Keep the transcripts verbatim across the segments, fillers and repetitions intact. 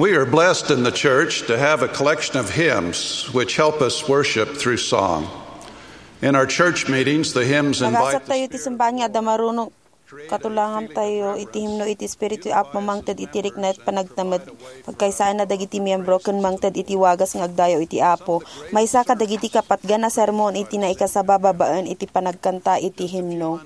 We are blessed in the church to have a collection of hymns which help us worship through song. In our church meetings, the hymns invite Nagasat tayo iti simbahan nga adda marunong katulangan tayo iti himno iti Espiritu, Apo, mangted iti rikna iti panagtemed, pagkaysaanna dagiti miyembro ken mangted iti wagas nga agdayaw iti Apo. Maysa kadagiti kapatgan a sermon iti naikasaba babaen iti panagkanta iti himno.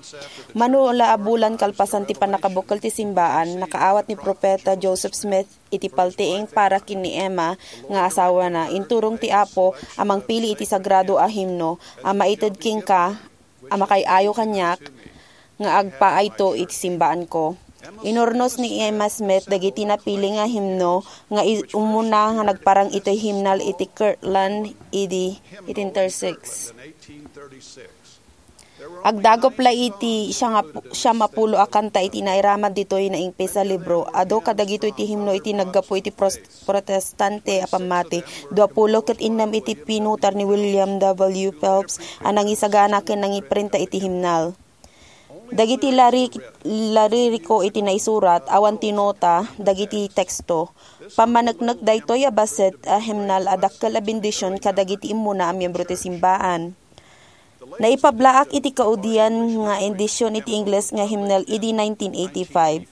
Mano la a bulan kalpasan ti pannakabukel ti simbaan, nakaawat ni Profeta Joseph Smith iti paltiing para ken ni Emma nga asawana. Inturong ti Apo a mangpili iti sagrado a himno a maited kenka a makaay-ayo kaniak nga agpaayto iti simbaanko. Inurnos ni Emma Smith dagiti napili nga himno nga i-, umuna nga nagparang itoy himnal iti Kirtland A D eighteen thirty-six. Agdagop la iti siangap-, siam a pulo a kanta iti nairaman ditoy naingpis a libro. Adu kadagitoy ti himno iti naggapu iti pros-, Protestante a pammati. Dua pulo ket innem iti pinutar ni William W. Phelps a nangisagana ken nangiprinta iti himnal. Dagiti lari-, laririko iti naisurat, awan ti nota, dagiti teksto. Pammaneknek daytoy a bassit a himnal a dakkel a bendision kadagiti immuna a miyembro ti simbaan. Naipablaak iti kaudian nga edision iti Ingles nga himnal idi nineteen eighty-five.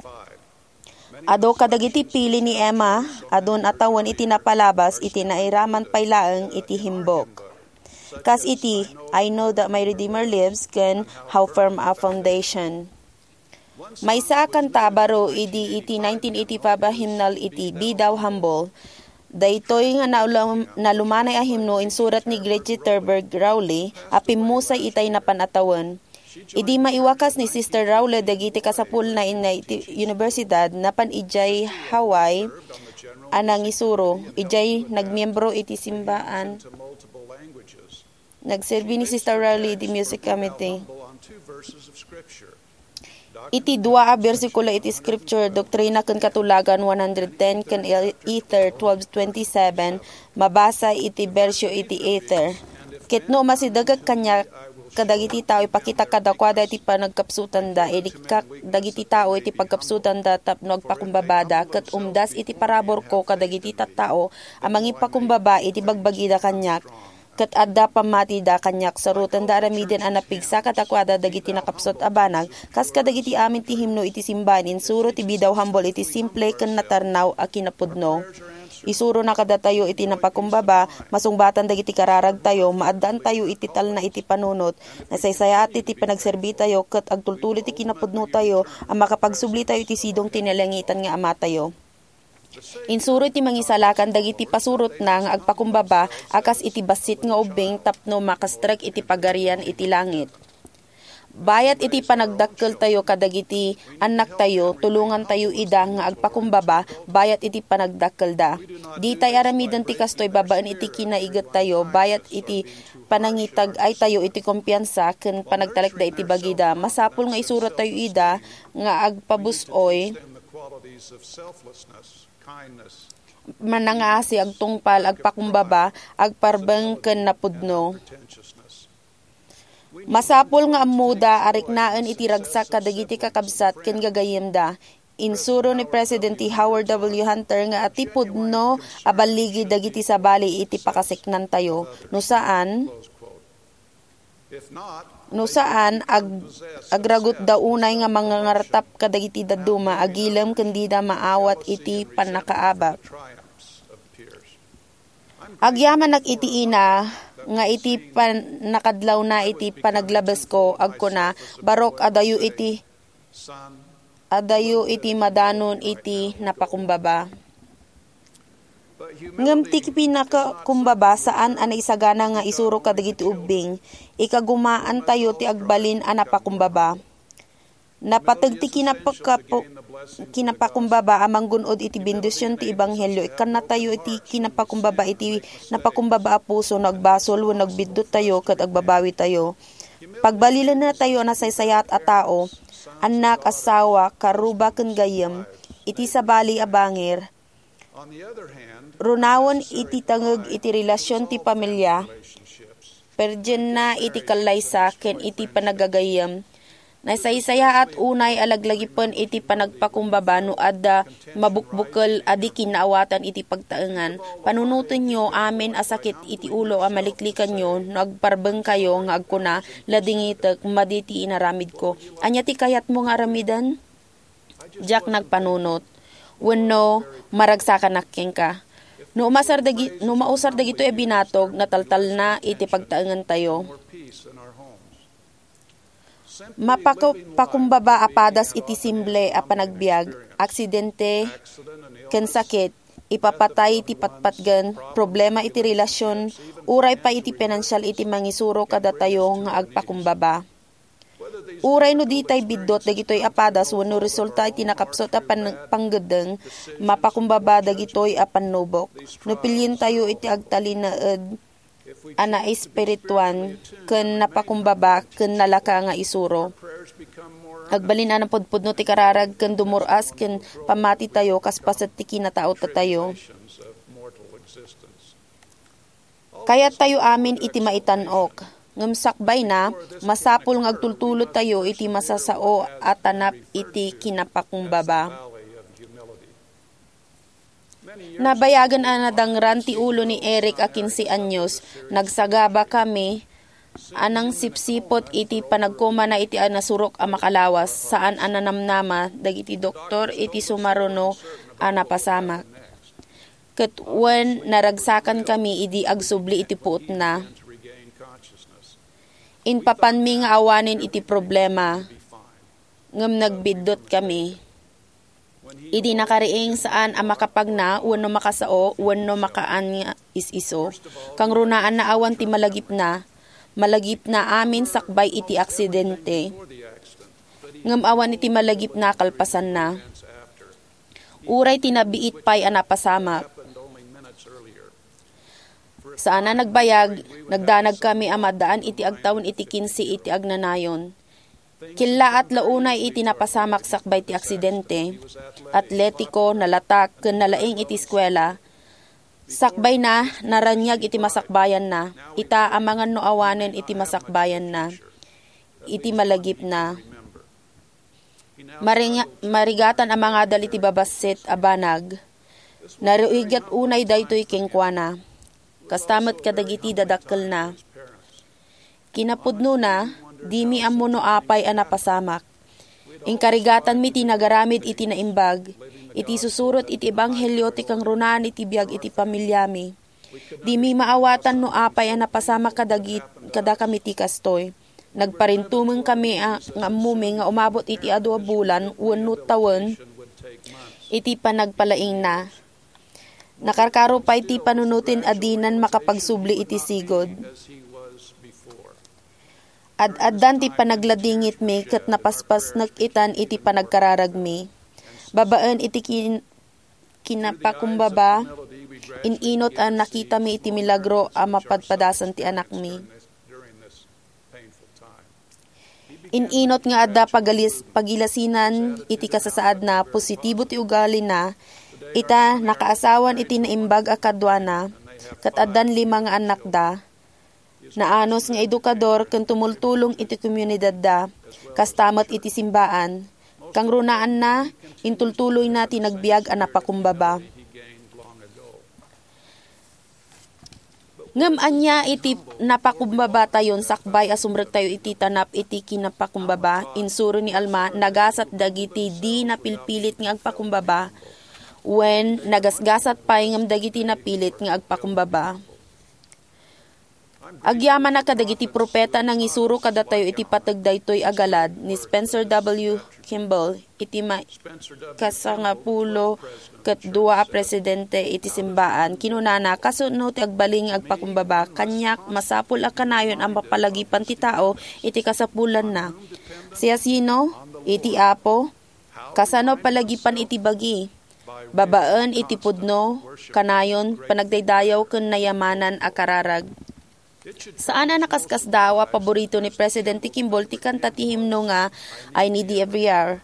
Adu kadagiti pili ni Emma, adun a tawen iti napalabas iti nairaman pay laeng iti himbok. Kas iti, "I Know That My Redeemer Lives" ken "How Firm a Foundation." Maysa a kanta a baro idi iti nineteen eighty-five a himnal iti "Be Thou Humble." Daytoy nga nalum-, nalumanay a himno insurat ni Gretchen Thurber Rowley a pimmusay itay napan a tawen. Idi maiwakas ni Sister Rowley dagiti kasapulna inna iti universidad, napan idiay Hawaii a nangisuro. Idiay nagmiembro iti simbaan. Nagserbi ni Sister Rowley iti music committee. Iti dua a bersikulo iti Scripture, Doktrina ken Katulagan one hundred ten ken Ether twelve twenty-seven, mabasa iti bersio iti Ether. Ket no umasidegek kaniak kadagiti tao, ipakitak kadakuada iti panagkapsutanda, irikkak dagiti tao iti pagkapsutanda tapno agpakumbabada, ket umdas iti paraburko kadagiti tattao a mangipakumbaba iti bagbagida kaniak. Ket adda pammatida kaniak, sarutenda aramiden a napigsa kadakuada dagiti nakapsut a banag, kas kadagiti amin ti himno iti simbaan, insuro ti "Be Thou Humble" iti simple ken natarnaw a kinapudno. Isurona kadatayo iti napakumbaba, masungbatan dagiti kararagtayo, maaddaantayo iti talna iti panunot, nasaysayaat iti panagserbitayo, ket agtultuloy ti kinapudnotayo a makapagsublitayo iti sidong ti nalangitan nga Amatayo. Insuro iti Mangisalakan dagiti pasurotna nga agpakumbaba a kas iti bassit nga ubbing tapno makastrek iti Pagarian iti langit. Bayat iti panagdakkeltayo kadagiti annaktayo, tulongantayo ida nga agpakumbaba bayat iti panagdakkelda. Ditay aramiden ti kastoy babaen iti kinaigettayo, bayat iti panangitag-aytayo iti kumpiansa ken panagtalekda iti bagida. Masapul nga isurottayo ida nga agpabus-oy, manangaasi, agtungpal, agpakumbaba, agparbeng ken napudno. Masapul nga ammoda a riknaen iti ragsak kadagiti kakabsat ken gagayyemda. Insuro ni Presidente Howard W. Hunter nga ti pudno a balligi dagiti sabali iti pakasiknantayo. No saan, no saan, ag-, agragutda unay nga mangangartap kadagiti dadduma, agilem ken dida maawat iti pannakaabak. Agyamanak iti ina nga iti pannakadlawna iti panaglabesko, agkuna, "Barok, adayo iti, adayo iti madanon iti napakumbaba." Ngem ti pinakakumbaba saan a naisagana nga isuro kadagiti ubbing. Ikagumaantayo ti agbalin a napakumbaba. Napateg ti kinapakapu-, kinapakumbaba a manggun-od iti bendision ti ebanghelio. Ikkannatayo iti kinapakumbaba iti napakumbaba a puso no agbasol wenno agbidduttayo ket agbabawitayo. Pagbalilennatayo a nasaysayaat a tao, annak, asawa, karuba ken gayyem, iti sabali a bangir, runawen iti tangeg iti relasion ti pamilya, perdienna iti kallaysa ken iti panagagayyem, Nasaysayaat unay a laglagipen iti panagpakumbaba no adda mabukbukel a di kinnaawatan iti pagtaengan. Panunotenyo amin a sakit iti ulo a maliklikanyo no agparbengkayo nga agkuna, "Ladingitek, madi ti inaramidko." Ania ti kayatmo nga aramiden? Diak nagpanunot. Wenno, maragsakanak kenka. No umasar dagi-, no mausar dagitoy a binatog, nataltalna iti pagtaengentayo. Mapako-, pakumbaba a padas iti simple a panagbiag, aksidente, ken sakit, ipapatay ti patpatgen, problema iti relasyon, uray pay iti pinansial iti mangisuro kadatayo nga agpakumbaba. Uray no ditay biddut dagitoy a padas wenno resulta iti nakapsut a pan-, panggeddeng, mapakumbaba dagitoy a pannubok. No pilientayo iti agtalinaed a naespirituan ken napakumbaba ken nalaka nga isuro. Agbalin a napudpudno ti kararag ken dumur-as ken pammatitayo kas paset ti kinataotatayo. Kayattayo amin iti maitan-ok, ngem sakbayna, masapul nga agtultulotayo iti masasao a tanap iti kinapakumbaba. Nabayagen a nadangran ti ulo ni Eric a kinse anyos. Nagsagaba kami a nangsipsiput iti panagkomana iti a nasurok a makalawas, saan a nanamnama dagiti doktor iti sumaruno a napasamak. Ket wen naragsakan kami idi agsubli iti puotna. Impapanmi nga awanen iti problema, ngem nagbiddut kami. Idi nakariing, saan a makapagna wenno makasao wenno makaan nga is-iso. Kangrunaanna awan ti malagipna. Malagipna amin sakbay iti aksidente. Ngem awan iti malagipna kalpasanna. Uray ti nabiit pay a napasamak. Saan a nagbayag, nagdanag kami a maddaan iti agtawen iti kinse iti agnanayon. Killaat la unay iti napasamak sakbay ti aksidente. Atletiko, nalatak, ken nalaing iti eskuela. Sakbayna, naraniag iti masakbayanna. Ita, amangan no awanen iti masakbayanna. Iti malagipna. Maringa-, marigatan a mangadal iti babassit a banag. Naruigat unay daytoy kenkuana. Kasta met kadagiti dadakkelna. Kinapudnona, dimi ammo no apay a napasamak. Inkarigatanmi ti nagaramid iti naimbag, iti susurot iti ebanghelio ti kangrunaan iti biag iti pamiliami. Dimi maawatan no apay a napasamak kadagit-, kadakami ti kastoy. Nagparintumeng kami a, nga ammumi nga umabot iti adu a bulan wenno tawen iti panagpalaingna. Nakarkaro pay ti panunoten a dinan makapagsubli iti sigud. Ad-addan ti panagladingitmi ket napaspasnek itan iti panagkararagmi. Babaen iti kin-, kinapakumbaba, in-inot a nakitami iti milagro a mapadpadasan ti anakmi. In-inot nga adda pagalis-, pagilasinan iti kasasaadna, positibo ti ugalina, ita nakaasawan iti naimbag a kaduana, ket addan lima nga annakda. Naanus nga edukador ken tumultulong iti komunidadda, kasta met iti simbaan. Kangrunaanna, intultuloyna ti nagbiag a napakumbaba. Ngem ania iti napakumbabatayon sakbay a sumrektayo iti tanap iti kinapakumbaba? Insuro ni Alma, nagasat dagiti di napilpilit nga agpakumbaba, wen nagasgasat pay ngem dagiti napilit nga agpakumbaba. Agyamanak kadagiti propeta a nangisuro kadatayo iti pateg daytoy a galad. Ni Spencer W. Kimball, iti ma-, kasangapulo ket dua a presidente iti simbaan, kinunana, "Kasano ti agbalin nga agpakumbaba? Kaniak, masapul a kanayon a mapalagipan ti tao iti kasapulanna." Siasino? Iti Apo. Kasano palagipan iti bagi? Babaen iti pudno, kanayon, panagdaydayaw ken nayamanan a kararag. Saan a nakaskasdaaw a paborito ni Presidente Kimball ti kanta ti himno nga "I Need Thee Every Hour."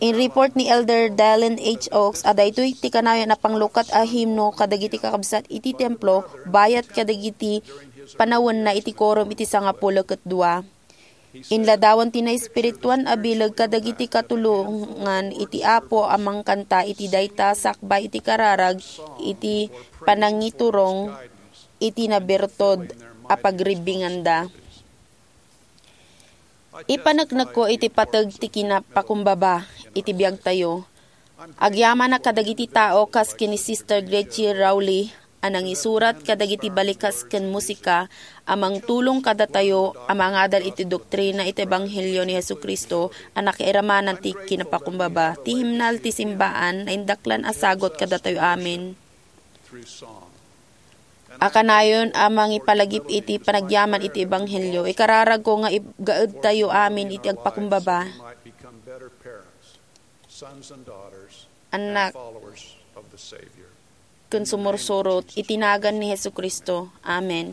In-report ni Elder Dallin H. Oaks a daytoy ti kanayon a panglukat a himno kadagiti kakabsat iti templo bayat kadagiti panawenna iti quorum iti sangapulo ket dua. Inladawan ti naespirituan a bileg kadagiti katulongan iti Apo a mangkanta iti dayta sakbay iti kararag iti panangiturong iti nabertod a pagribbinganda. Ipaneknekko iti pateg ti kinapakumbaba iti biagtayo. Agyamanak kadagiti tao kas ken ni Sister Gretchen Rowley a nangisurat kadagiti balikas ken musika a mangtulong kadatayo a mangadal iti doktrina iti Ebanghelio ni Jesu-Cristo a nakairamanan ti kinapakumbaba. Ti himnal ti simbaan, naindaklan a sagut kadatayo amin. A kanayon a mangipalagip iti panagyaman iti Ebanghelio, ikararagko nga ib-, gaedtayo amin iti agpakumbaba, anak, ken sumursurot iti nagan ni Jesu-Cristo. Amen.